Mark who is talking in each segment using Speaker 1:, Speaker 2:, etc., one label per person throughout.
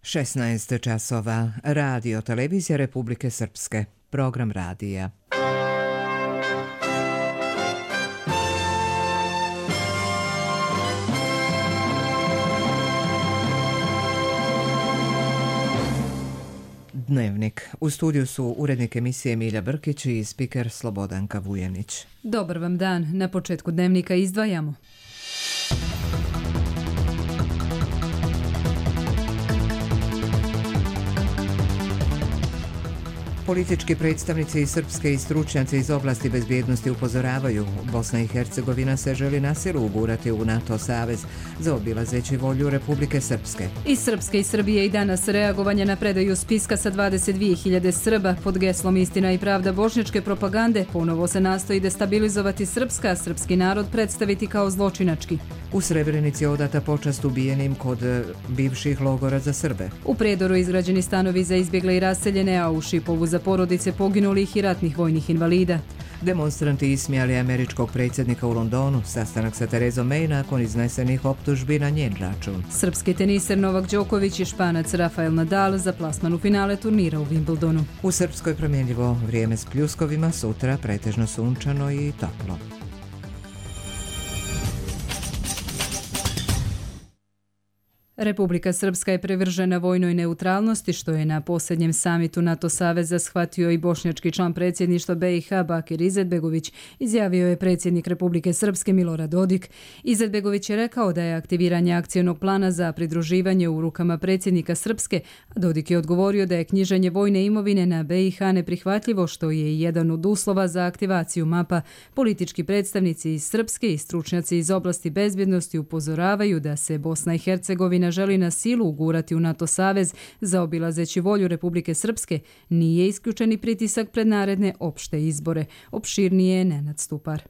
Speaker 1: 16 časova. Radio Televizija Republike Srpske. Program radija. Dnevnik. U studiju su urednik emisije Milja Brkić i spiker Slobodanka Vujanić.
Speaker 2: Dobar vam dan. Na početku dnevnika izdvajamo.
Speaker 1: Politički predstavnici iz Srpske i stručnjaci iz oblasti bezbjednosti upozoravaju, Bosna i Hercegovina se želi na silu ugurati u NATO savez, zaobilazeći volju Republike Srpske.
Speaker 2: Iz Srpske i Srbije i danas reagovanje na predaju spiska sa 22.000 Srba pod geslom Istina i pravda bošnjačke propagande ponovo se nastoji destabilizovati Srpska, a srpski narod predstaviti kao zločinački.
Speaker 1: U Srebrenici odata počast ubijenim kod bivših logora za Srbe.
Speaker 2: U Prijedoru izgrađeni stanovi za izbjegle i raseljene, a u Šipovu za porodice poginulih i ratnih vojnih invalida.
Speaker 1: Demonstranti ismijali američkog predsjednika u Londonu, sastanak sa Terezom May nakon iznesenih optužbi na njen račun.
Speaker 2: Srpski teniser Novak Đoković i Španac Rafael Nadal za plasman u finale turnira u Wimbledonu.
Speaker 1: U Srpskoj promjenljivo vrijeme s pljuskovima, sutra pretežno sunčano i toplo.
Speaker 2: Republika Srpska je privržena vojnoj neutralnosti, što je na posljednjem samitu NATO saveza shvatio i bošnjački član predsjedništva BiH Bakir Izetbegović, izjavio je predsjednik Republike Srpske Milorad Dodik. Izetbegović je rekao da je aktiviranje akcionog plana za pridruživanje u rukama predsjednika Srpske, a Dodik je odgovorio da je knjiženje vojne imovine na BiH neprihvatljivo, što je i jedan od uslova za aktivaciju mapa. Politički predstavnici iz Srpske i stručnjaci iz oblasti bezbjednosti upozoravaju da se Bosna i Hercegovina želi na silu ugurati u NATO savez, zaobilazeći volju Republike Srpske, nije isključeni pritisak pred naredne opšte izbore. Opširnije je Nenad Stupar.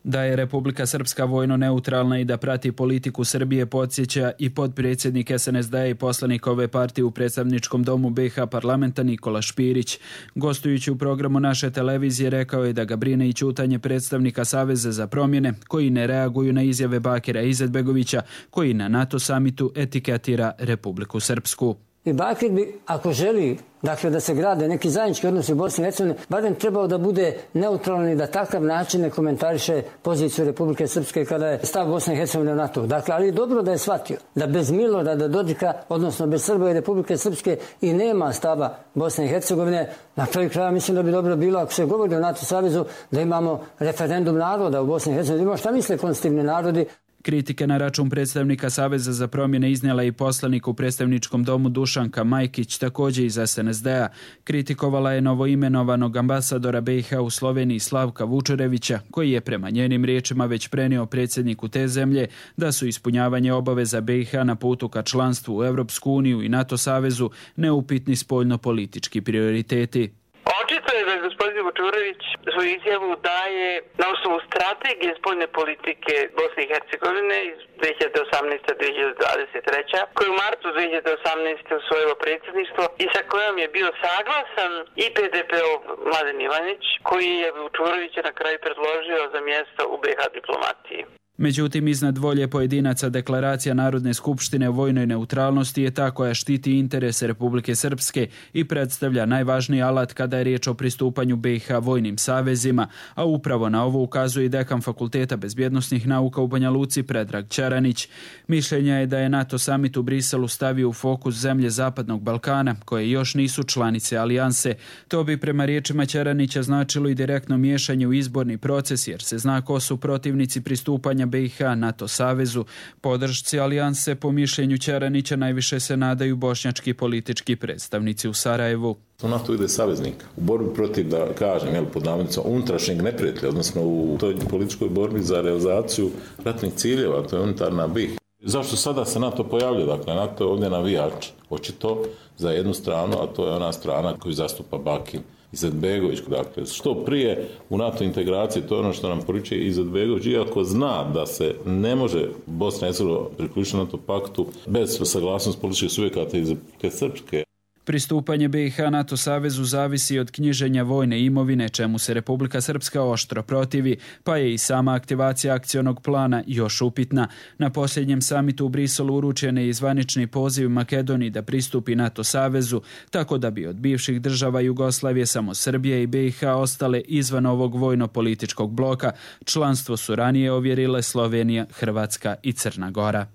Speaker 3: Da je Republika Srpska vojno neutralna i da prati politiku Srbije podsjeća i potpredsjednik SNSD i poslanik ove partije u predstavničkom domu BiH parlamenta Nikola Špirić. Gostujući u programu naše televizije rekao je da ga brine i ćutanje predstavnika Saveza za promjene koji ne reaguju na izjave Bakira Izetbegovića koji na NATO samitu etiketira Republiku Srpsku.
Speaker 4: I Bakir bi, ako želi da se grade neki zajednički odnosi u Bosni i Hercegovini, barem trebao da bude neutralan i da takav način ne komentariše poziciju Republike Srpske kada je stav Bosne i Hercegovine u NATO. Dakle, ali dobro da je shvatio da bez Milorada Dodika, odnosno bez Srba i Republike Srpske i nema stava Bosne i Hercegovine. Na kraju kraja mislim da bi dobro bilo, ako se govori o NATO savezu, da imamo referendum naroda u Bosni i Hercegovini. Imamo šta misle konstitutivni narodi.
Speaker 3: Kritike na račun predstavnika Saveza za promjene iznijela i poslanik u predstavničkom domu Dušanka Majkić, također iz SNSD-a. Kritikovala je novoimenovanog ambasadora BiH u Sloveniji Slavka Vučerevića, koji je prema njenim riječima već prenio predsjedniku te zemlje da su ispunjavanje obaveza BiH na putu ka članstvu u Europsku uniju i NATO savezu neupitni spoljno-politički prioriteti.
Speaker 5: Očito je da gospodin Vučurević svoju izjavu daje na osnovu strategije spoljne politike Bosne i Hercegovine iz 2018-2023, koju u martu 2018. usvojilo predsjedništvo i sa kojom je bio saglasan i PDP-ov Mladen Ivanić, koji je Vučurevića na kraju predložio za mjesto u BiH diplomatiji.
Speaker 3: Međutim, iznad volje pojedinaca deklaracija Narodne skupštine o vojnoj neutralnosti je ta koja štiti interese Republike Srpske i predstavlja najvažniji alat kada je riječ o pristupanju BiH vojnim savezima, a upravo na ovo ukazuje i dekan Fakulteta bezbjednosnih nauka u Banja Luci Predrag Čaranić. Mišljenja je da je NATO samit u Briselu stavio u fokus zemlje Zapadnog Balkana, koje još nisu članice alijanse. To bi prema riječima Čaranića značilo i direktno miješanje u izborni proces, jer se zna ko su protivnici pristupanja BiH NATO savezu. Podršci alijanse po mišljenju Čaranića najviše se nadaju bošnjački politički predstavnici u Sarajevu.
Speaker 6: U NATO ide saveznik u borbi protiv, da kažem, pod navodnicima unutrašnjeg neprijatelja, odnosno u toj političkoj borbi za realizaciju ratnih ciljeva, to je unitarna BiH. Zašto sada se NATO pojavlja? Dakle, NATO je ovdje navijač, očito za jednu stranu, a to je ona strana koju zastupa Bakir Izetbegović. Dakle, što prije u NATO integraciji, to je ono što nam poručuje Izetbegović, iako zna da se ne može Bosna i Hercegovina priključiti NATO paktu bez saglasnosti političkih subjekata iz Srpske.
Speaker 3: Pristupanje BiH NATO savezu zavisi od knjiženja vojne imovine, čemu se Republika Srpska oštro protivi, pa je i sama aktivacija akcionog plana još upitna. Na posljednjem samitu u Briselu uručen je i zvanični poziv Makedoniji da pristupi NATO savezu, tako da bi od bivših država Jugoslavije samo Srbija i BiH ostale izvan ovog vojno-političkog bloka. Članstvo su ranije ovjerile Slovenija, Hrvatska i Crna Gora.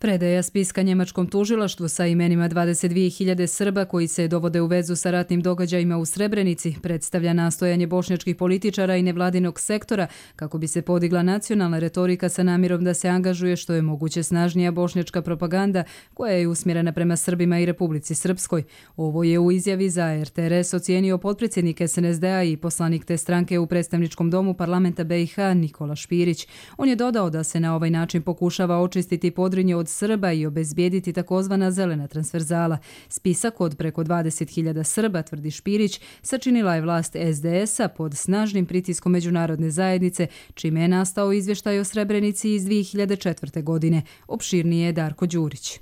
Speaker 2: Predaja spiska njemačkom tužilaštvu sa imenima 22.000 Srba koji se dovode u vezu sa ratnim događajima u Srebrenici predstavlja nastojanje bošnjačkih političara i nevladinog sektora kako bi se podigla nacionalna retorika sa namjerom da se angažuje što je moguće snažnija bošnjačka propaganda koja je usmjerena prema Srbima i Republici Srpskoj. Ovo je u izjavi za RTRS ocijenio potpredsjednik SNSD-a i poslanik te stranke u predstavničkom domu parlamenta BiH Nikola Špirić. On je dodao da se na ovaj način pokušava očistiti Podrinje od Srba i obezbijediti takozvana zelena transverzala. Spisak od preko 20.000 Srba, tvrdi Špirić, sačinila je vlast SDS-a pod snažnim pritiskom međunarodne zajednice, čime je nastao izvještaj o Srebrenici iz 2004. godine. Opširnije je Darko Đurić.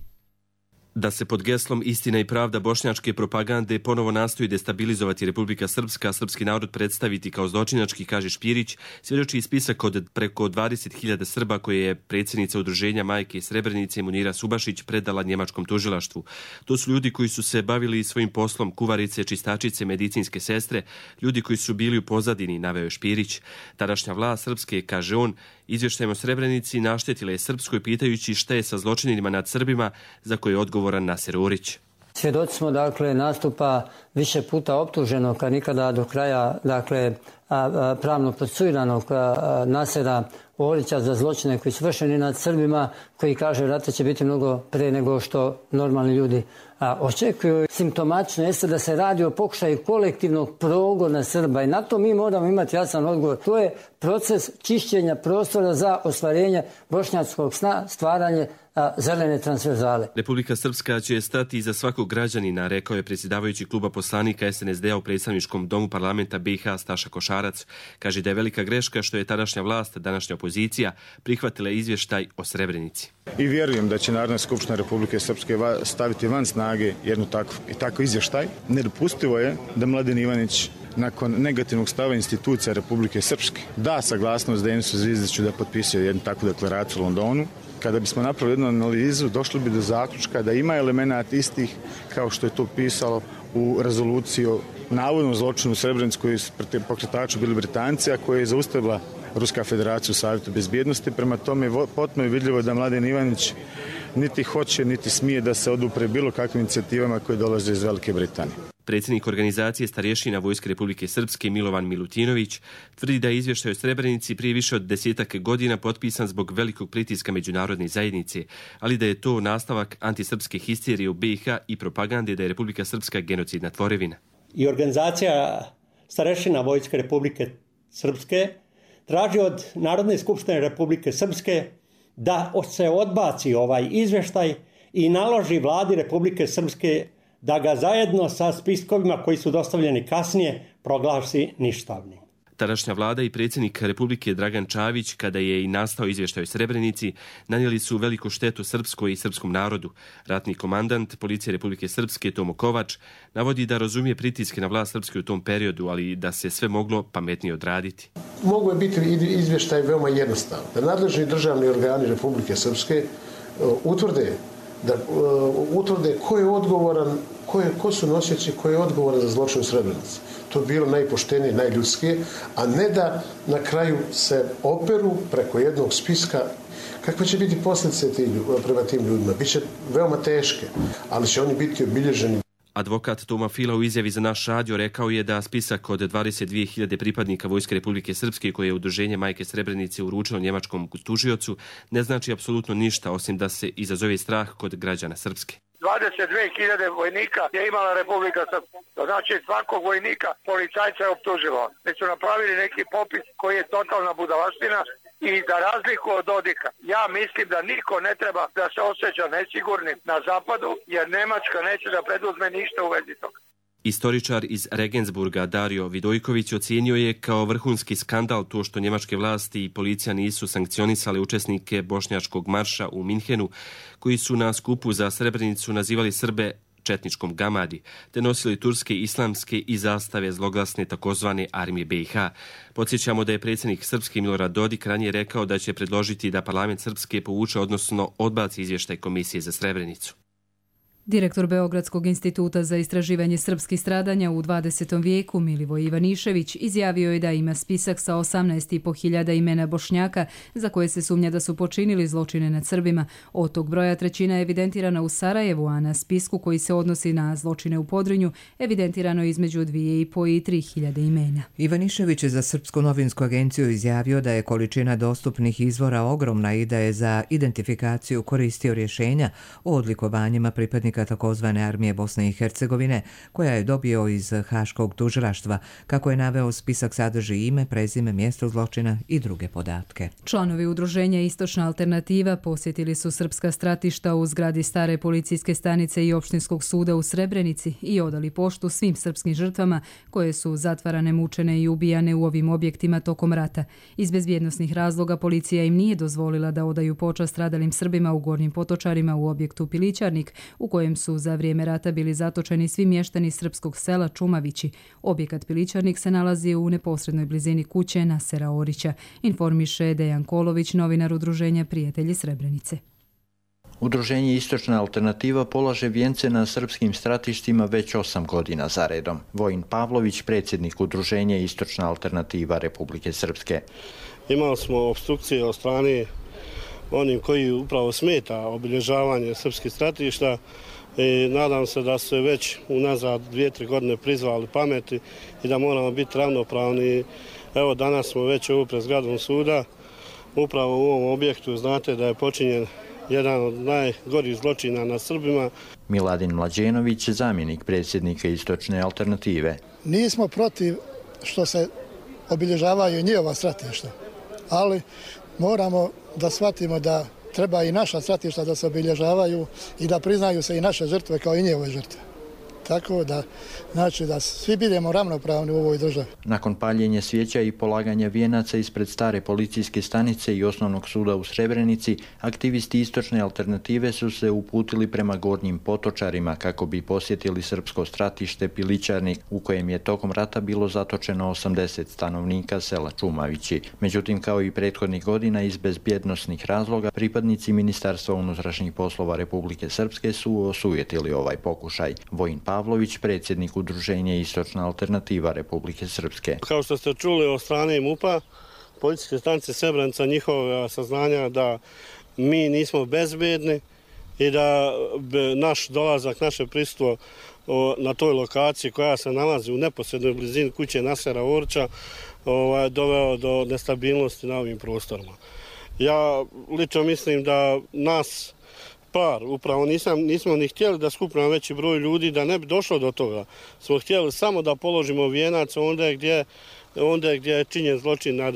Speaker 7: Da se pod geslom istina i pravda bošnjačke propagande ponovo nastoji destabilizovati Republika Srpska, srpski narod predstaviti kao zločinački, kaže Špirić, svjedoči i spisak od preko 20.000 Srba koje je predsjednica udruženja Majke Srebrenice Munira Subašić predala njemačkom tužilaštvu. To su ljudi koji su se bavili svojim poslom, kuvarice, čistačice, medicinske sestre, ljudi koji su bili u pozadini, naveo je Špirić. Tadašnja vlast Srpske, kaže on, izvještajem o Srebrenici naštetila je Srpskoj pitajući šta je sa zločinima nad Srbima za koje je odgovoran Naser Orić.
Speaker 4: Svjedoci smo nastupa više puta optuženog, a nikada do kraja pravno procesuiranog Nasera Orića za zločine koji su vršeni nad Srbima, koji kaže rata će biti mnogo pre nego što normalni ljudi očekuju. Simptomačno jeste da se radi o pokušaju kolektivnog progona Srba i na to mi moramo imati jasan odgovor. To je proces čišćenja prostora za ostvarenje bošnjačkog sna, stvaranje zelene transverzale.
Speaker 7: Republika Srpska će stati iza svakog građanina, rekao je predsjedavajući kluba poslanika SNSD-a u predstavničkom domu parlamenta BiH Staša Košarac. Kaže da je velika greška što je tadašnja vlast, današnja opozicija, prihvatila izvještaj o Srebrenici.
Speaker 8: I vjerujem da će Narodna skupština Republike Srpske staviti van snage jednu takav izvještaj. Nedopustivo je da Mladen Ivanić nakon negativnog stava institucija Republike Srpske da saglasnost Denisu Zvizdiću da potpisuje jednu takvu deklaraciju u Londonu. Kada bismo napravili jednu analizu, došli bi do zaključka da ima elemenata istih kao što je to pisalo u rezoluciji o navodnom zločinu u Srebrenici koji su pokretači bili Britanci, a koje je zaustavila Ruska federacija u Savjetu bezbjednosti. Prema tome potpuno je vidljivo da Mladen Ivanić niti hoće, niti smije da se odupre bilo kakvim inicijativama koje dolaze iz Velike Britanije.
Speaker 7: Predsjednik organizacije starješina Vojske Republike Srpske Milovan Milutinović tvrdi da je izvještaj o Srebrenici prije više od 10 godina potpisan zbog velikog pritiska međunarodne zajednice, ali da je to nastavak antisrpske histerije u BiH i propagande da je Republika Srpska genocidna tvorevina.
Speaker 9: I organizacija starješina Vojske Republike Srpske traži od Narodne skupštine Republike Srpske da se odbaci ovaj izvještaj i naloži vladi Republike Srpske da ga zajedno sa spiskovima koji su dostavljeni kasnije proglasi ništavnim.
Speaker 7: Tadašnja vlada i predsjednik Republike Dragan Čavić, kada je i nastao izvještaj o Srebrenici, nanijeli su veliku štetu srpskoj i srpskom narodu. Ratni komandant Policije Republike Srpske Tomo Kovač navodi da razumije pritiske na vlast Srpske u tom periodu, ali da se sve moglo pametnije odraditi.
Speaker 10: Mogu je biti izvještaj veoma jednostavan. Da nadležni državni organi Republike Srpske utvrde ko je odgovoran, ko su nosioci, ko je odgovoran za zločin u Srebrenici. To je bilo najpoštenije, najljudskije, a ne da na kraju se operu preko jednog spiska. Kakve će biti posljedice prema tim ljudima? Biće veoma teške, ali će oni biti obilježeni.
Speaker 7: Advokat Toma Fila u izjavi za naš radio rekao je da spisak od 22.000 pripadnika Vojske Republike Srpske koje je udruženje Majke Srebrenice uručilo njemačkom tužiocu ne znači apsolutno ništa osim da se izazove strah kod građana Srpske.
Speaker 11: 22.000 vojnika je imala Republika Srpska. To znači svakog vojnika policajca je optužilo. Mi su napravili neki popis koji je totalna budalaština i za razliku od Dodika. Ja mislim da niko ne treba da se osjeća nesigurnim na zapadu jer Nemačka neće da preduzme ništa u vezi toga.
Speaker 7: Istoričar iz Regensburga Dario Vidojković ocijenio je kao vrhunski skandal to što njemačke vlasti i policija nisu sankcionisale učesnike bošnjačkog marša u Minhenu, koji su na skupu za Srebrenicu nazivali Srbe četničkom Gamadi, te nosili turske, islamske i zastave zloglasne takozvane armije BiH. Podsjećamo da je predsjednik Srpske Milorad Dodik ranije rekao da će predložiti da parlament Srpske povuče, odnosno odbaci izvještaj Komisije za Srebrenicu.
Speaker 2: Direktor Beogradskog instituta za istraživanje srpskih stradanja u 20. vijeku Milivoj Ivanišević izjavio je da ima spisak sa 18.500 imena Bošnjaka za koje se sumnja da su počinili zločine nad Srbima. Od tog broja trećina je evidentirana u Sarajevu, a na spisku koji se odnosi na zločine u Podrinju evidentirano između 2.500 i 3.000 imena.
Speaker 1: Ivanišević je za Srpsku novinsku agenciju izjavio da je količina dostupnih izvora ogromna i da je za identifikaciju koristio rješenja o odlikovanjima pripadnika takozvane armije Bosne i Hercegovine, koja je dobio iz Haškog tužilaštva. Kako je naveo, spisak sadrži ime, prezime, mjesto zločina i druge podatke.
Speaker 2: Članovi udruženja Istočna alternativa posjetili su srpska stratišta u zgradi stare policijske stanice i opštinskog suda u Srebrenici i odali poštu svim srpskim žrtvama koje su zatvarane, mučene i ubijane u ovim objektima tokom rata. Iz bezbjednosnih razloga policija im nije dozvolila da odaju počast stradalim Srbima u Gornjim Potočarima u objektu Pilićarnik, u kojem su za vrijeme rata bili zatočeni svi mještani srpskog sela Čumavići. Objekat Pilićarnik se nalazi u neposrednoj blizini kuće Nasera Orića, informiše Dejan Kolović, novinar udruženja Prijatelji Srebrenice.
Speaker 12: Udruženje Istočna alternativa polaže vijence na srpskim stratištima već 8 godina zaredom. Vojin Pavlović, predsjednik udruženja Istočna alternativa Republike Srpske.
Speaker 13: Imali smo opstrukcije od strane onim koji upravo smeta obilježavanje srpskih stratišta i nadam se da su već unazad 2-3 godine prizvali pameti i da moramo biti ravnopravni. Evo, danas smo već ovo pred zgradom suda, upravo u ovom objektu. Znate da je počinjen jedan od najgorih zločina na Srbima.
Speaker 12: Miladin Mlađenović, zamjenik predsjednika Istočne alternative.
Speaker 14: Nismo protiv što se obilježavaju njihova stratišta, ali moramo da shvatimo da treba i naša stratišta da se obilježavaju i da priznaju se i naše žrtve kao i njihove žrtve. Tako da, znači da svi budemo ravnopravni u ovoj državi.
Speaker 12: Nakon paljenja svijeća i polaganja vijenaca ispred stare policijske stanice i osnovnog suda u Srebrenici, aktivisti Istočne alternative su se uputili prema Gornjim Potočarima kako bi posjetili srpsko stratište Pilićarnik, u kojem je tokom rata bilo zatočeno 80 stanovnika sela Čumavići. Međutim, kao i prethodnih godina, iz bezbjednosnih razloga, pripadnici Ministarstva unutrašnjih poslova Republike Srpske su osujetili ovaj pokušaj. Vojin Pavlović, predsjednik udruženja Istočna alternativa Republike Srpske.
Speaker 13: Kao što ste čuli od strane MUP-a, policijske stanice Srebrenica, njihova saznanja da mi nismo bezbedni i da naš dolazak, naše prisustvo na toj lokaciji koja se nalazi u neposrednoj blizini kuće Nasera Orića doveo do nestabilnosti na ovim prostorima. Ja lično mislim da nas upravo nismo ni htjeli da skupimo veći broj ljudi, da ne bi došlo do toga. Smo htjeli samo da položimo vijenac onda gdje je činjen zločin nad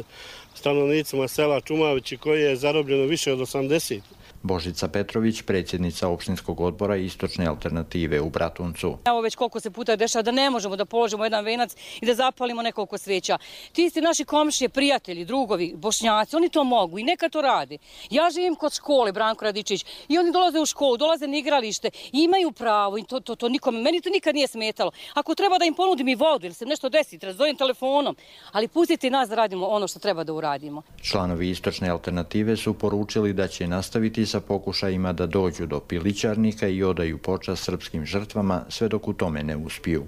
Speaker 13: stanovnicima sela Čumavići, koji je zarobljeno više od 80.
Speaker 12: Božica Petrović, predsjednica opštinskog odbora Istočne alternative u Bratuncu.
Speaker 15: Evo već koliko se puta dešava da ne možemo da položimo jedan venac i da zapalimo nekoliko sveća. Ti isti naši komšije, prijatelji, drugovi, Bošnjaci, oni to mogu i neka to rade. Ja živim kod škole, Branko Radičić, i oni dolaze u školu, dolaze na igralište, imaju pravo i to nikome, meni to nikad nije smetalo. Ako treba da im ponudim i vodu ili se nešto desi, razdojem telefonom, ali pustite nas da radimo ono što treba da uradimo.
Speaker 12: Članovi Istočne alternative su poručili da će nastaviti sa pokušajima da dođu do Pilićarnika i odaju počast srpskim žrtvama sve dok u tome ne uspiju.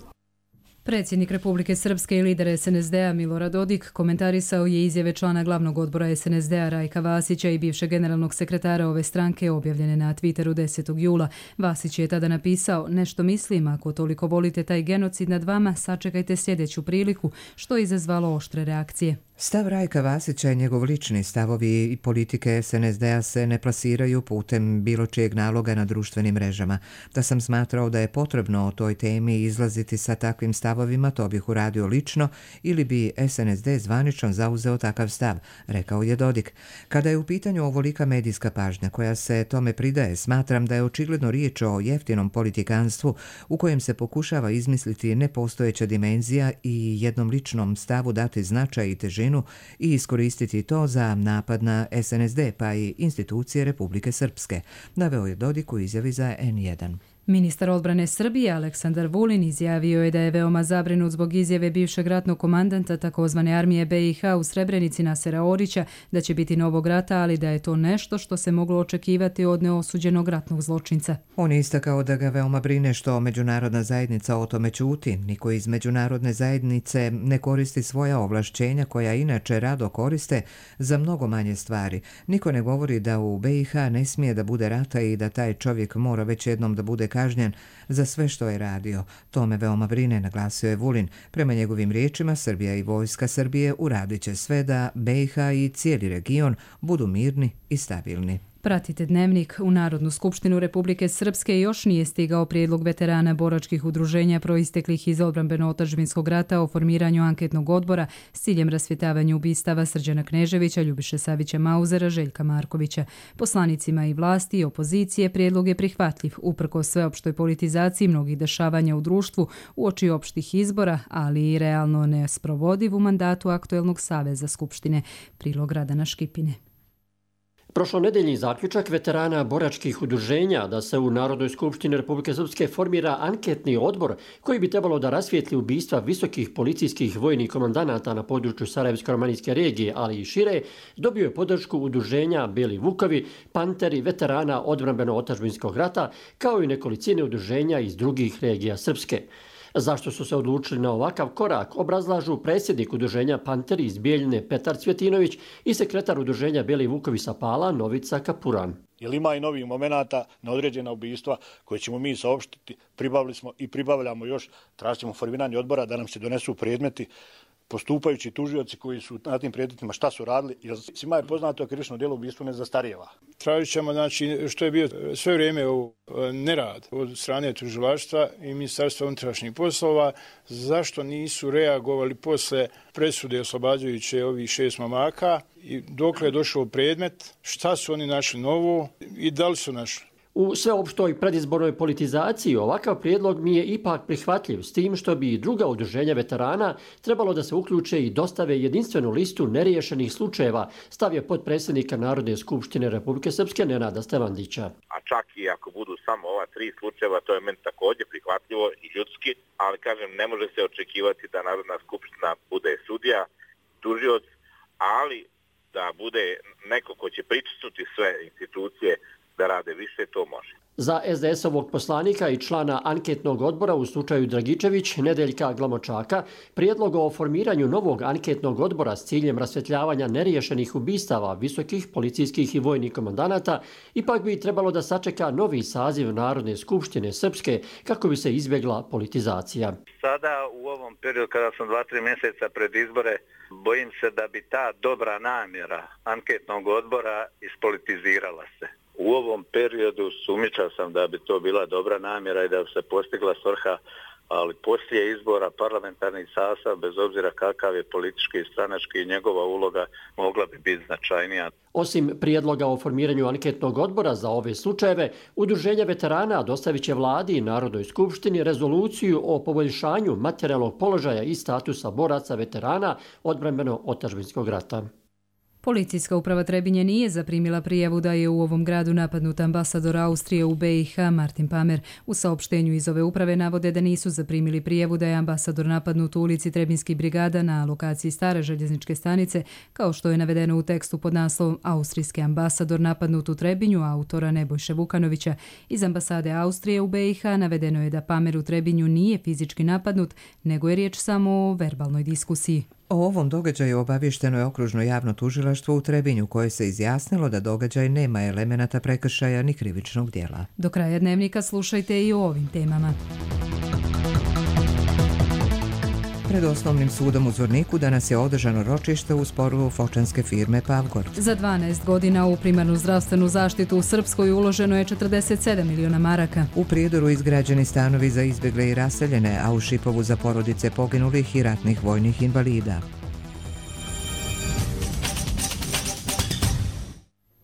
Speaker 2: Predsjednik Republike Srpske i lider SNSD-a Milorad Dodik komentarisao je izjave člana glavnog odbora SNSD-a Rajka Vasića i bivšeg generalnog sekretara ove stranke objavljene na Twitteru 10. jula. Vasić je tada napisao: nešto mislim, ako toliko volite taj genocid nad vama, sačekajte sljedeću priliku, što je izazvalo oštre reakcije.
Speaker 1: Stav Rajka Vasića i njegov lični stavovi i politike SNSD-a se ne plasiraju putem bilo čijeg naloga na društvenim mrežama. Da sam smatrao da je potrebno o toj temi izlaziti sa takvim stavovima, to bih uradio lično ili bi SNSD zvanično zauzeo takav stav, rekao je Dodik. Kada je u pitanju ovolika medijska pažnja koja se tome pridaje, smatram da je očigledno riječ o jeftinom politikanstvu u kojem se pokušava izmisliti nepostojeća dimenzija i jednom ličnom stavu dati značaj i težinu i iskoristiti to za napad na SNSD pa i institucije Republike Srpske, naveo je Dodik u izjavi za N1.
Speaker 2: Ministar odbrane Srbije Aleksandar Vulin izjavio je da je veoma zabrinut zbog izjave bivšeg ratnog komandanta takozvane armije BiH u Srebrenici Nasera Orića da će biti novog rata, ali da je to nešto što se moglo očekivati od neosuđenog ratnog zločinca.
Speaker 1: On je istakao da ga veoma brine što međunarodna zajednica o tome ćuti. Niko iz međunarodne zajednice ne koristi svoja ovlašćenja koja inače rado koriste za mnogo manje stvari. Niko ne govori da u BiH ne smije da bude rata i da taj čovjek mora već jednom da bude kažnjen za sve što je radio. To me veoma brine, naglasio je Vulin. Prema njegovim riječima, Srbija i vojska Srbije uradit će sve da BiH i cijeli region budu mirni i stabilni.
Speaker 2: Pratite Dnevnik. U Narodnu skupštinu Republike Srpske još nije stigao prijedlog veterana boračkih udruženja proisteklih iz odbrambeno-otadžbinskog rata o formiranju anketnog odbora s ciljem rasvjetavanja ubistava Srđana Kneževića, Ljubiše Savića Mauzera, Željka Markovića. Poslanicima i vlasti i opozicije prijedlog je prihvatljiv, uprkos sveopštoj politizaciji mnogih dešavanja u društvu uoči opštih izbora, ali i realno nesprovodiv u mandatu aktuelnog Saveza Skupštine. Prilog Radana Škipine.
Speaker 16: Prošlonedeljni zaključak veterana boračkih udruženja da se u Narodnoj skupštini Republike Srpske formira anketni odbor koji bi trebalo da rasvijetli ubistva visokih policijskih vojnih komandanata na području Sarajevsko-romanijske regije, ali i šire, dobio je podršku udruženja Beli Vukovi, Panteri, veterana odbrambeno-otadžbinskog rata, kao i nekolicine udruženja iz drugih regija Srpske. Zašto su se odlučili na ovakav korak, obrazlažu predsjednik udruženja Panteri iz Bijeljine Petar Cvjetinović i sekretar udruženja Beli Vukovi sa Pala Novica Kapuran.
Speaker 17: Jer ima i novih momenata na određena ubistva koje ćemo mi saopštiti, pribavili smo i pribavljamo još, tražimo formiranje odbora da nam se donesu predmeti, postupajući tužioci koji su na tim predmetima šta su radili, jer svima je poznato krivično djelo ubistvo ne zastarijeva.
Speaker 18: Tražit ćemo, što je bio sve vrijeme u nerad od strane tužilaštva i Ministarstva unutrašnjih poslova, zašto nisu reagovali posle presude oslobađajuće ovih 6 mamaka i dokle je došao predmet, šta su oni našli novo i da li su našli.
Speaker 16: U sveopštoj predizbornoj politizaciji ovakav prijedlog mi je ipak prihvatljiv, s tim što bi i druga udruženja veterana trebalo da se uključe i dostave jedinstvenu listu neriješenih slučajeva, stavio potpredsjednika Narodne skupštine Republike Srpske Nenada Stevandića.
Speaker 19: A čak i ako budu samo ova 3 slučajeva, to je meni također prihvatljivo i ljudski, ali kažem, ne može se očekivati da Narodna skupština bude sudija, tužioc, ali da bude neko ko će pritisnuti sve institucije da rade više, to može.
Speaker 16: Za SDS-ovog poslanika i člana anketnog odbora u slučaju Dragičević, Nedeljka Glamočaka, prijedlog o formiranju novog anketnog odbora s ciljem rasvjetljavanja neriješenih ubistava visokih policijskih i vojnih komandanata ipak bi trebalo da sačeka novi saziv Narodne skupštine Srpske kako bi se izbjegla politizacija.
Speaker 19: Sada u ovom periodu kada sam 2-3 mjeseca pred izbore, bojim se da bi ta dobra namjera anketnog odbora ispolitizirala se. U ovom periodu sumnjičao sam da bi to bila dobra namjera i da bi se postigla svrha, ali poslije izbora parlamentarnih sastav, bez obzira kakav je politički i stranački, njegova uloga mogla bi biti značajnija.
Speaker 16: Osim prijedloga o formiranju anketnog odbora za ove slučajeve, udruženja veterana dostavit će vladi i Narodnoj skupštini rezoluciju o poboljšanju materijalnog položaja i statusa boraca veterana odbrambeno-otadžbinskog rata.
Speaker 2: Policijska uprava Trebinje nije zaprimila prijavu da je u ovom gradu napadnut ambasador Austrije u BiH Martin Pamer. U saopštenju iz ove uprave navode da nisu zaprimili prijavu da je ambasador napadnut u ulici Trebinskih brigada na lokaciji stare željezničke stanice, kao što je navedeno u tekstu pod naslovom Austrijski ambasador napadnut u Trebinju autora Nebojše Vukanovića. Iz ambasade Austrije u BiH navedeno je da Pamer u Trebinju nije fizički napadnut, nego je riječ samo o verbalnoj diskusiji.
Speaker 1: O ovom događaju obavješteno je okružno javno tužilaštvo u Trebinju koje se izjasnilo da događaj nema elemenata prekršaja ni krivičnog djela.
Speaker 2: Do kraja Dnevnika slušajte i o ovim temama.
Speaker 1: Pred osnovnim sudom u Zvorniku danas je održano ročište u sporu fočanske firme Pavgor.
Speaker 2: Za 12 godina u primarnu zdravstvenu zaštitu u Srpskoj uloženo je 47 miliona maraka.
Speaker 1: U Prijedoru izgrađeni stanovi za izbjegle i raseljene, a u Šipovu za porodice poginulih i ratnih vojnih invalida.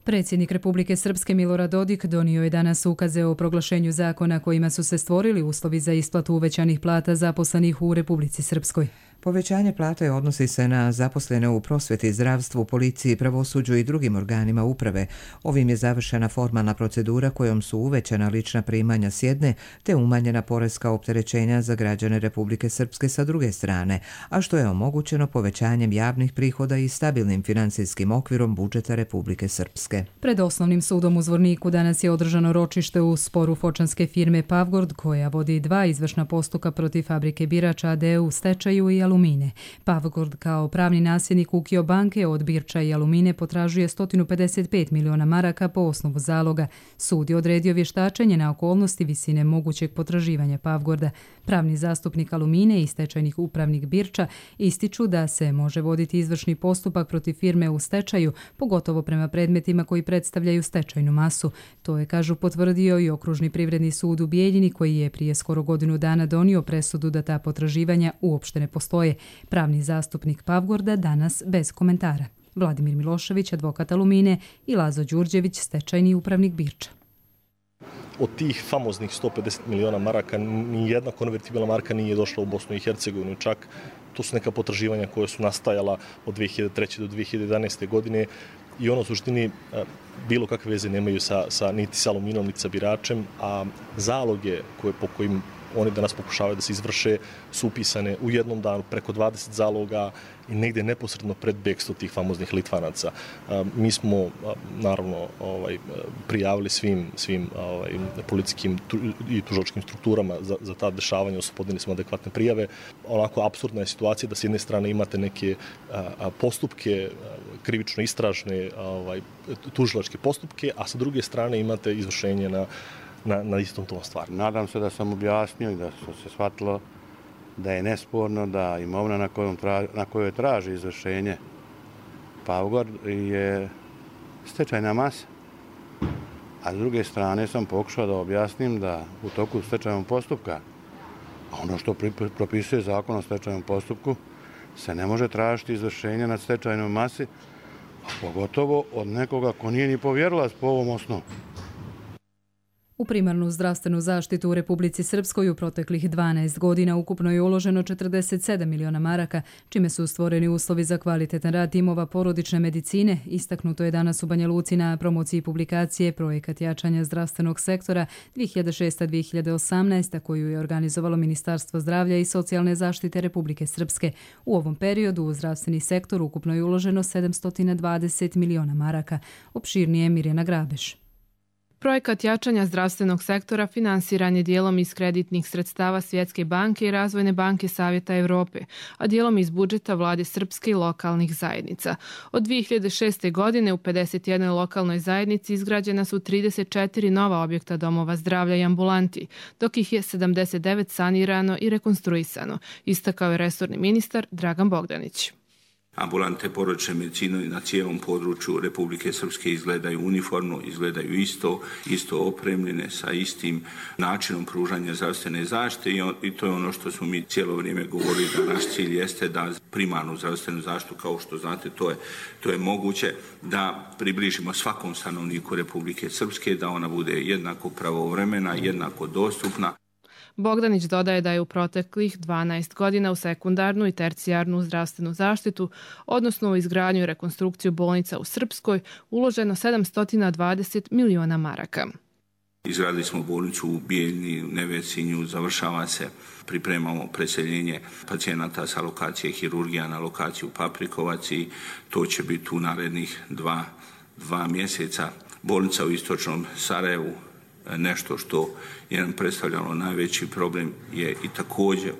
Speaker 2: Predsjednik Republike Srpske Milorad Dodik donio je danas ukaze o proglašenju zakona kojima su se stvorili uslovi za isplatu uvećanih plata zaposlenih u Republici Srpskoj.
Speaker 1: Povećanje plate odnosi se na zaposlene u prosveti, zdravstvu, policiji, pravosuđu i drugim organima uprave. Ovim je završena formalna procedura kojom su uvećana lična primanja s jedne te umanjena poreska opterećenja za građane Republike Srpske sa druge strane, a što je omogućeno povećanjem javnih prihoda i stabilnim financijskim okvirom budžeta Republike Srpske.
Speaker 2: Pred Osnovnim sudom u Zvorniku danas je održano ročište u sporu fočanske firme Pavgord koja vodi 2 izvršna postupka protiv fabrike Birača a.d. u stečaju i Alumine. Pavgord kao pravni nasljednik Ukio banke od Birča i Alumine potražuje 155 miliona maraka po osnovu zaloga. Sud je odredio vještačenje na okolnosti visine mogućeg potraživanja Pavgorda. Pravni zastupnik Alumine i stečajnih upravnik Birča ističu da se može voditi izvršni postupak protiv firme u stečaju, pogotovo prema predmetima koji predstavljaju stečajnu masu. To je, kažu, potvrdio i Okružni privredni sud u Bijeljini koji je prije skoro godinu dana donio presudu da ta potraživanja uopšte ne postoje. Pravni zastupnik Pavgorda danas bez komentara. Vladimir Milošević, advokat Alumine, i Lazo Đurđević, stečajni upravnik Birča.
Speaker 20: Od tih famoznih 150 miliona maraka nijedna konvertibilna marka nije došla u Bosnu i Hercegovinu. Čak to su neka potraživanja koja su nastajala od 2003. do 2011. godine i ono u suštini bilo kakve veze nemaju niti sa Aluminom, niti sa Biračem, a zaloge po kojim oni danas pokušavaju da se izvrše su upisane u jednom danu preko 20 zaloga i negdje neposredno pred bekstvo tih famoznih Litvanaca. Mi smo naravno prijavili svim policijskim i tužilačkim strukturama za ta dešavanja, podnijeli smo adekvatne prijave. Onako apsurdna je situacija da s jedne strane imate neke postupke, krivično istražne tužilačke postupke, a sa druge strane imate izvršenje na istom tom stvari.
Speaker 21: Nadam se da sam objasnio i da se shvatilo da je nesporno da imovina na kojoj traži izvršenje Pavgord je stečajna masa. A s druge strane sam pokušao da objasnim da u toku stečajnog postupka, a ono što propisuje zakon o stečajnom postupku, se ne može tražiti izvršenje nad stečajnom masi, a pogotovo od nekoga ko nije ni povjerilac po ovom osnovu.
Speaker 2: U primarnu zdravstvenu zaštitu u Republici Srpskoj u proteklih 12 godina ukupno je uloženo 47 miliona maraka, čime su stvoreni uslovi za kvalitetan rad timova porodične medicine. Istaknuto je danas u Banja Luci na promociji publikacije Projekat jačanja zdravstvenog sektora 2006-2018, koju je organizovalo Ministarstvo zdravlja i socijalne zaštite Republike Srpske. U ovom periodu u zdravstveni sektor ukupno je uloženo 720 miliona maraka. Opširnije Mirjana Grabeš.
Speaker 22: Projekat jačanja zdravstvenog sektora finansiran je dijelom iz kreditnih sredstava Svjetske banke i Razvojne banke Savjeta Evrope, a dijelom iz budžeta vlade Srpske i lokalnih zajednica. Od 2006. godine u 51 lokalnoj zajednici izgrađena su 34 nova objekta domova zdravlja i ambulanti, dok ih je 79 sanirano i rekonstruisano, istakao je resorni ministar Dragan Bogdanić.
Speaker 23: Ambulante porodične medicine na cijelom području Republike Srpske izgledaju uniformno, izgledaju isto opremljene sa istim načinom pružanja zdravstvene zaštite i to je ono što smo mi cijelo vrijeme govorili da naš cilj jeste da primarnu zdravstvenu zaštitu, kao što znate, to je moguće da približimo svakom stanovniku Republike Srpske, da ona bude jednako pravovremena, jednako dostupna.
Speaker 22: Bogdanić dodaje da je u proteklih 12 godina u sekundarnu i tercijarnu zdravstvenu zaštitu, odnosno u izgradnju i rekonstrukciju bolnica u Srpskoj, uloženo 720 miliona maraka.
Speaker 23: Izgradili smo bolnicu u Bijeljni, u Nevesinju, završava se, pripremamo preseljenje pacijenata sa lokacije hirurgija na lokaciju Paprikovac i to će biti u narednih dva mjeseca. Bolnica u istočnom Sarajevu, nešto što je nam predstavljalo najveći problem, je i također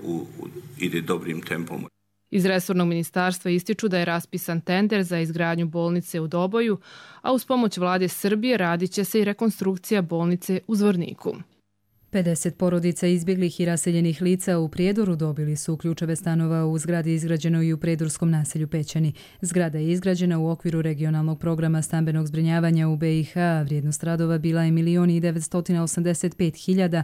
Speaker 23: ide dobrim tempom.
Speaker 22: Iz resornog ministarstva ističu da je raspisan tender za izgradnju bolnice u Doboju, a uz pomoć vlade Srbije radit će se i rekonstrukcija bolnice u Zvorniku.
Speaker 2: 50 porodica izbjeglih i raseljenih lica u Prijedoru dobili su ključeve stanova u zgradi izgrađenoj i u prijedorskom naselju Pećani. Zgrada je izgrađena u okviru regionalnog programa stambenog zbrinjavanja u BiH. Vrijednost radova bila je 1.985.000.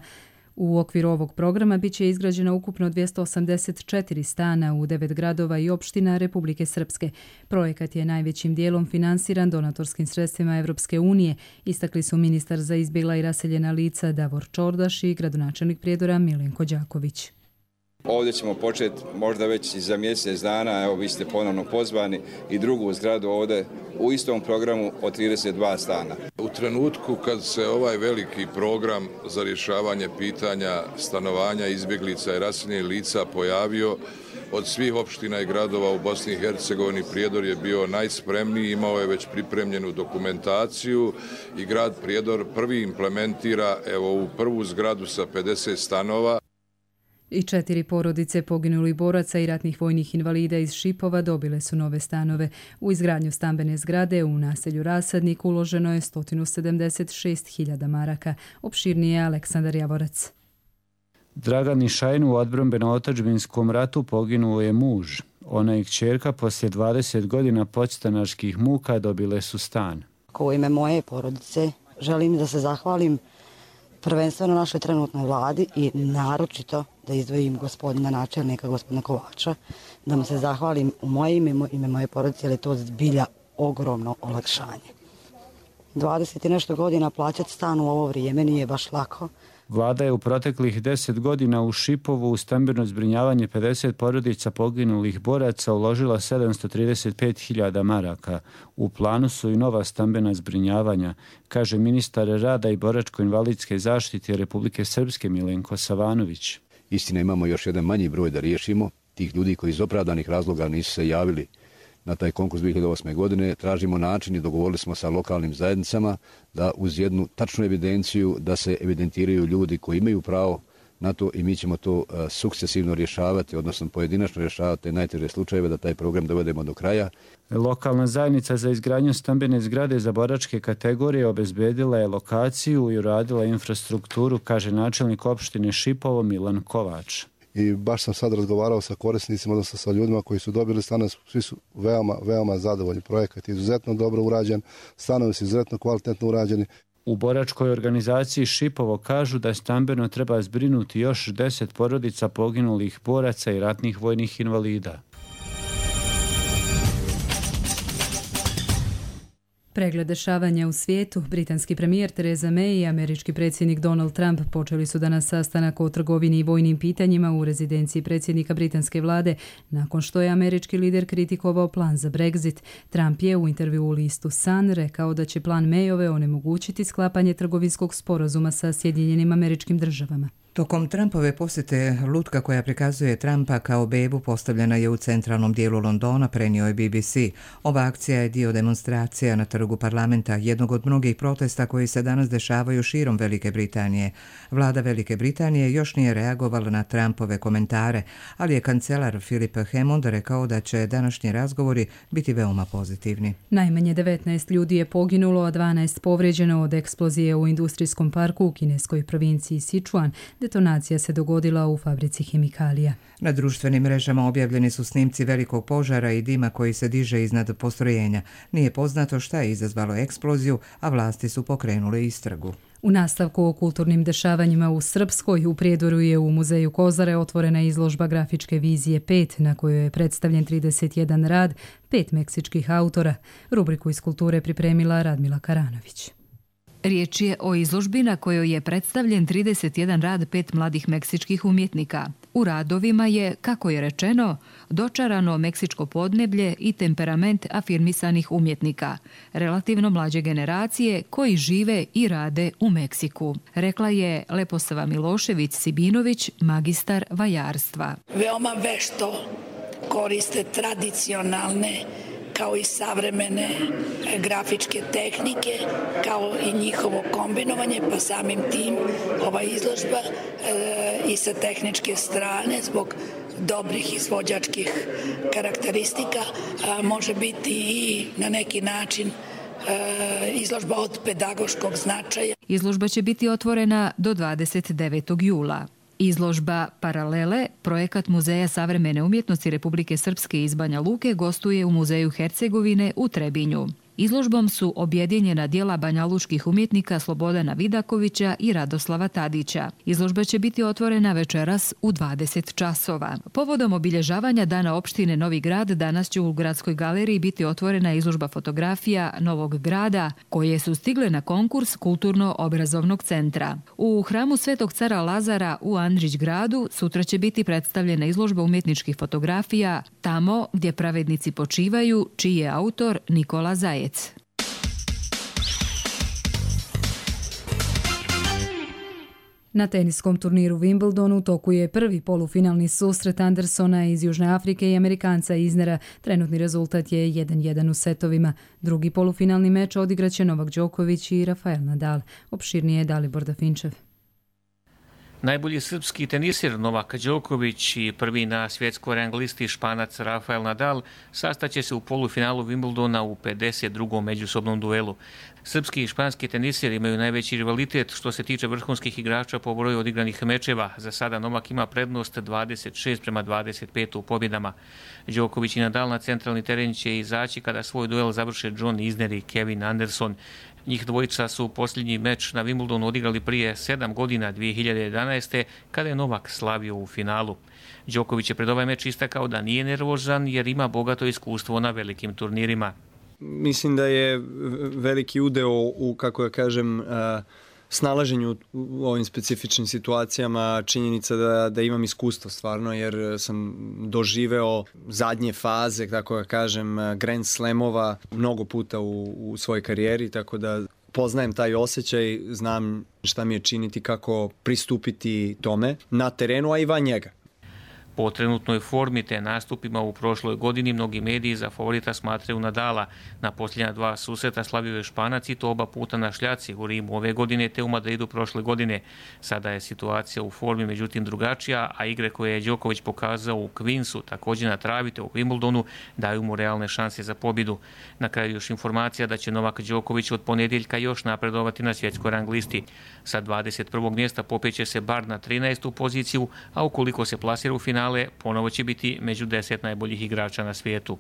Speaker 2: U okviru ovog programa bit će izgrađeno ukupno 284 stana u 9 gradova i opština Republike Srpske. Projekat je najvećim dijelom finansiran donatorskim sredstvima Evropske unije, istakli su ministar za izbjegla i raseljena lica Davor Čordaš i gradonačelnik Prijedora Milenko Đaković.
Speaker 3: Ovdje ćemo početi možda već za mjesec dana, evo vi ste ponovno pozvani, i drugu zgradu ovdje u istom programu od 32 stana.
Speaker 5: U trenutku kad se ovaj veliki program za rješavanje pitanja stanovanja izbjeglica i raseljenih lica pojavio, od svih opština i gradova u Bosni i Hercegovini Prijedor je bio najspremniji, imao je već pripremljenu dokumentaciju i grad Prijedor prvi implementira u prvu zgradu sa 50 stanova.
Speaker 2: I 4 porodice poginulih boraca i ratnih vojnih invalida iz Šipova dobile su nove stanove. U izgradnju stambene zgrade u naselju Rasadnik uloženo je 176.000 maraka. Opširnije je Aleksandar Javorac.
Speaker 6: Dragani Šajnu u odbrambeno-otadžbinskom ratu poginuo je muž. Ona i kćerka poslije 20 godina podstanarskih muka dobile su stan.
Speaker 24: U ime moje porodice želim da se zahvalim prvenstveno našoj trenutnoj vladi i naročito da izdvojim gospodina načelnika, gospodina Kovača, da mu se zahvalim u moje ime moje porodice, jer je to zbilja ogromno olakšanje. 20 i nešto godina plaćati stan u ovo vrijeme nije baš lako.
Speaker 6: Vlada je u proteklih 10 godina u Šipovu u stambeno zbrinjavanje 50 porodica poginulih boraca uložila 735.000 maraka. U planu su i nova stambena zbrinjavanja, kaže ministar rada i boračko-invalidske zaštite Republike Srpske Milenko Savanović.
Speaker 25: Istina, imamo još jedan manji broj da riješimo. Tih ljudi koji iz opravdanih razloga nisu se javili na taj konkurs 2008. godine. Tražimo način i dogovorili smo sa lokalnim zajednicama da uz jednu tačnu evidenciju da se evidentiraju ljudi koji imaju pravo na to i mi ćemo to sukcesivno rješavati, odnosno pojedinačno rješavati te najteže slučajeve da taj program dovedemo do kraja.
Speaker 6: Lokalna zajednica za izgradnju stambene zgrade za boračke kategorije obezbedila je lokaciju i uradila infrastrukturu, kaže načelnik opštine Šipovo Milan Kovač.
Speaker 26: I baš sam sad razgovarao sa korisnicima, odnosno sa ljudima koji su dobili stanove, svi su veoma zadovoljni. Projekat je izuzetno dobro urađen, stanovi su izuzetno kvalitetno urađeni.
Speaker 6: U boračkoj organizaciji Šipovo kažu da stambeno treba zbrinuti još 10 porodica poginulih boraca i ratnih vojnih invalida.
Speaker 2: Pregled dešavanja u svijetu, britanski premijer Theresa May i američki predsjednik Donald Trump počeli su danas sastanak o trgovini i vojnim pitanjima u rezidenciji predsjednika britanske vlade, nakon što je američki lider kritikovao plan za Brexit. Trump je u intervjuu u listu Sun rekao da će plan Mayove onemogućiti sklapanje trgovinskog sporazuma sa Sjedinjenim Američkim Državama.
Speaker 1: Tokom Trumpove posjete lutka koja prikazuje Trumpa kao bebu postavljena je u centralnom dijelu Londona, prenio je BBC. Ova akcija je dio demonstracija na trgu parlamenta, jednog od mnogih protesta koji se danas dešavaju širom Velike Britanije. Vlada Velike Britanije još nije reagovala na Trumpove komentare, ali je kancelar Philip Hammond rekao da će današnji razgovori biti veoma pozitivni.
Speaker 2: Najmanje 19 ljudi je poginulo, a 12 povrijeđeno od eksplozije u industrijskom parku u kineskoj provinciji Sichuan. Detonacija se dogodila u fabrici hemikalija.
Speaker 1: Na društvenim mrežama objavljeni su snimci velikog požara i dima koji se diže iznad postrojenja. Nije poznato šta je izazvalo eksploziju, a vlasti su pokrenule istragu.
Speaker 2: U nastavku o kulturnim dešavanjima u Srpskoj, u Prijedoru je u muzeju Kozare otvorena izložba grafičke vizije 5, na kojoj je predstavljen 31 rad 5 meksičkih autora. Rubriku iz kulture pripremila Radmila Karanović.
Speaker 27: Riječ je o izložbi na kojoj je predstavljen 31 rad 5 mladih meksičkih umjetnika. U radovima je, kako je rečeno, dočarano meksičko podneblje i temperament afirmisanih umjetnika, relativno mlađe generacije koji žive i rade u Meksiku, rekla je Leposava Milošević-Sibinović, magistar vajarstva.
Speaker 28: Veoma vešto koriste tradicionalne kao i savremene grafičke tehnike, kao i njihovo kombinovanje, pa samim tim ova izložba i sa tehničke strane zbog dobrih izvođačkih karakteristika može biti i na neki način izložba od pedagoškog značaja.
Speaker 27: Izložba će biti otvorena do 29. jula. Izložba Paralele, projekat Muzeja savremene umjetnosti Republike Srpske iz Banja Luke, gostuje u Muzeju Hercegovine u Trebinju. Izložbom su objedinjena djela banjalučkih umjetnika Slobodana Vidakovića i Radoslava Tadića. Izložba će biti otvorena večeras u 20 časova. Povodom obilježavanja Dana opštine Novi Grad danas će u Gradskoj galeriji biti otvorena izložba fotografija Novog grada koje su stigle na konkurs Kulturno-obrazovnog centra. U hramu Svetog cara Lazara u Andrić gradu sutra će biti predstavljena izložba umjetničkih fotografija Tamo gdje pravednici počivaju, čiji je autor Nikola Zajec.
Speaker 2: Na teniskom turniru Wimbledonu u toku je prvi polufinalni susret Andersona iz Južne Afrike i Amerikanca Isnera. Trenutni rezultat je 1-1 u setovima. Drugi polufinalni meč odigraće Novak Đoković i Rafael Nadal. Opširnije je Dalibor Dafinčev.
Speaker 4: Najbolji srpski tenisir Novak Đoković i prvi na svjetskoj rang listi Španac Rafael Nadal sastaće se u polufinalu Wimbledona u 52. međusobnom duelu. Srpski i španski tenisiri imaju najveći rivalitet što se tiče vrhunskih igrača po broju odigranih mečeva. Za sada Novak ima prednost 26-25 u pobjedama. Đoković i Nadal na centralni teren će izaći kada svoj duel završe John Isner i Kevin Anderson. Njih dvojica su posljednji meč na Wimbledonu odigrali prije 7 godina, 2011. kada je Novak slavio u finalu. Đoković je pred ovaj meč istakao da nije nervozan jer ima bogato iskustvo na velikim turnirima.
Speaker 7: Mislim da je veliki udeo u, kako ja kažem, snalaženju u ovim specifičnim situacijama činjenica da imam iskustvo stvarno, jer sam doživeo zadnje faze, tako da kažem, Grand Slamova mnogo puta u svojoj karijeri, tako da poznajem taj osjećaj, znam šta mi je činiti, kako pristupiti tome na terenu, a i van njega.
Speaker 4: Po trenutnoj formi te nastupima u prošloj godini mnogi mediji za favorita smatraju Nadala. Na posljednja dva susreta slavio je Španac i to oba puta na šljaci u Rimu ove godine te u Madridu prošle godine. Sada je situacija u formi međutim drugačija, a igre koje je Đoković pokazao u Queensu, također na travi te u Wimbledonu, daju mu realne šanse za pobjedu. Na kraju još informacija da će Novak Đoković od ponedjeljka još napredovati na svjetskoj rang listi. Sa 21. mjesta popeće se bar na 13. poziciju, a ukoliko se plasira u finale, ponovo će biti među 10 najboljih igrača na svijetu.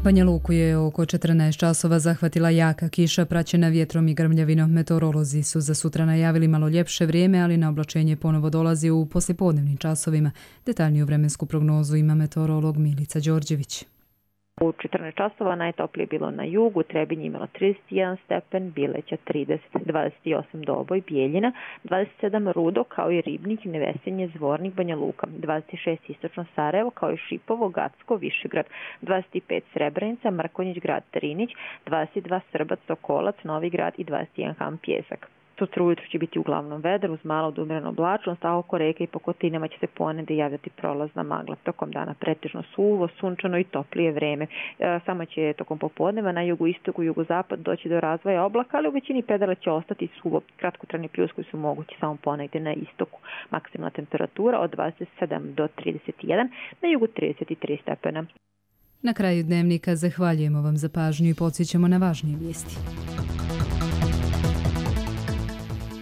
Speaker 2: Banja Luku je oko 14 časova zahvatila jaka kiša praćena vjetrom i grmljavinom. Meteorolozi su za sutra najavili malo ljepše vrijeme, ali na oblačenje ponovo dolazi u poslijepodnevnim časovima. Detaljniju vremensku prognozu ima meteorolog Milica Đorđević.
Speaker 8: U 14 časova najtoplije bilo na jugu, Trebinje imalo 31 stepen, Bileća 30, 28 Doboj, Bijeljina, 27 Rudo, kao i Ribnik, Nevesenje, Zvornik, Banja Luka, 26 Istočno Sarajevo, kao i Šipovo, Gacko, Višegrad, 25 Srebrenica, Mrkonjić, grad Trinić, 22 Srbac, Sokolac, Novi Grad i 21 Ham Pjesak. Sutra ujutro će biti uglavnom vedar uz malo od umjerenu oblačnost, a oko reke i po kotinama će se ponegdje javljati prolazna magla. Tokom dana pretežno suvo, sunčano i toplije vreme. Samo će tokom popodneva na jugu, istoku, jugozapad doći do razvoja oblaka, ali u većini predela će ostati suvo. Kratkotrajni pljuskovi su mogući samo ponegdje na istoku. Maksimalna temperatura od 27 do 31, na jugu 33 stepena.
Speaker 2: Na kraju dnevnika zahvaljujemo vam za pažnju i podsjećamo na važnije vijesti.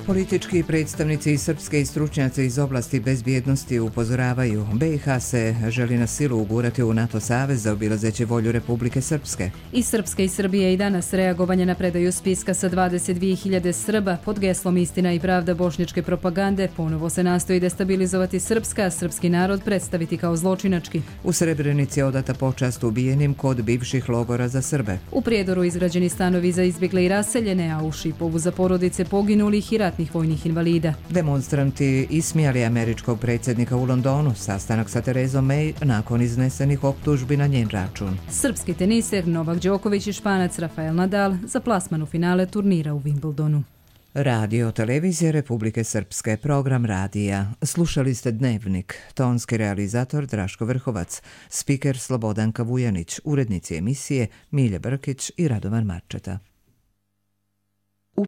Speaker 1: Politički predstavnici i srpske i stručnjaci iz oblasti bezbjednosti upozoravaju BiH se želi na silu ugurati u NATO savez zaobilazeći volju Republike Srpske.
Speaker 2: I Srpske i Srbije i danas reagovanje na predaju spiska sa 22.000 Srba pod geslom Istina i pravda bošnjačke propagande ponovo se nastoji destabilizovati Srpska, a srpski narod predstaviti kao zločinački.
Speaker 1: U Srebrenici je odata počast ubijenim kod bivših logora za Srbe.
Speaker 2: U Prijedoru izgrađeni stanovi za izbjegle i raseljene, a u Šipovu za porodice poginulih i ratnih vojnih invalida.
Speaker 1: Demonstranti ismijali američkog predsjednika u Londonu, sastanak sa Terezom May nakon iznesenih optužbi na njen račun.
Speaker 2: Srpski teniser Novak Đoković i Španac Rafael Nadal za plasman u finale turnira u Wimbledonu.
Speaker 1: Radio televizije Republike Srpske, program radija. Slušali ste Dnevnik, tonski realizator Draško Vrhovac, spiker Slobodanka Vujanić, urednici emisije Milje Brkić i Radovan Marčeta.